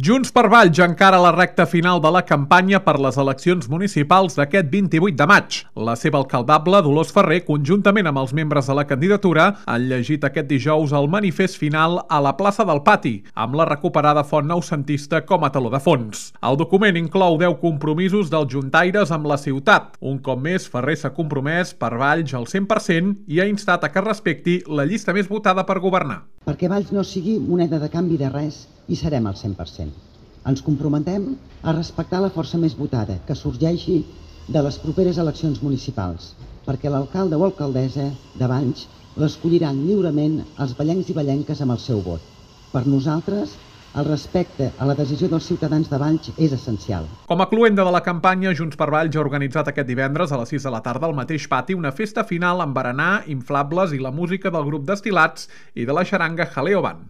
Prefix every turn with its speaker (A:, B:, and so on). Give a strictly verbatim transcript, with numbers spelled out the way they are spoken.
A: Junts per Valls encara la recta final de la campanya per les eleccions municipals d'aquest vint-i-vuit de maig. La seva alcaldable, Dolors Ferrer, conjuntament amb els membres de la candidatura, han llegit aquest dijous el manifest final a la plaça del Pati, amb la recuperada font noucentista com a teló de fons. El document inclou deu compromisos dels juntaires amb la ciutat. Un cop més, Ferrer s'ha compromès per Valls al cent per cent i ha instat a que respecti la llista més votada per governar.
B: Perquè Valls no sigui moneda de canvi de res i serem al cent per cent. Ens comprometem a respectar la força més votada que sorgeixi de les properes eleccions municipals, perquè l'alcalde o alcaldessa de Valls l'escolliran lliurement els vallencs i vallenques amb el seu vot. Per nosaltres, el respecte a la decisió dels ciutadans de Valls és essencial.
A: Com a cloenda de la campanya, Junts per Valls ha organitzat aquest divendres a les sis de la tarda al mateix pati una festa final amb berenar, inflables i la música del grup Destil·lats i de la xaranga Jaleo Band.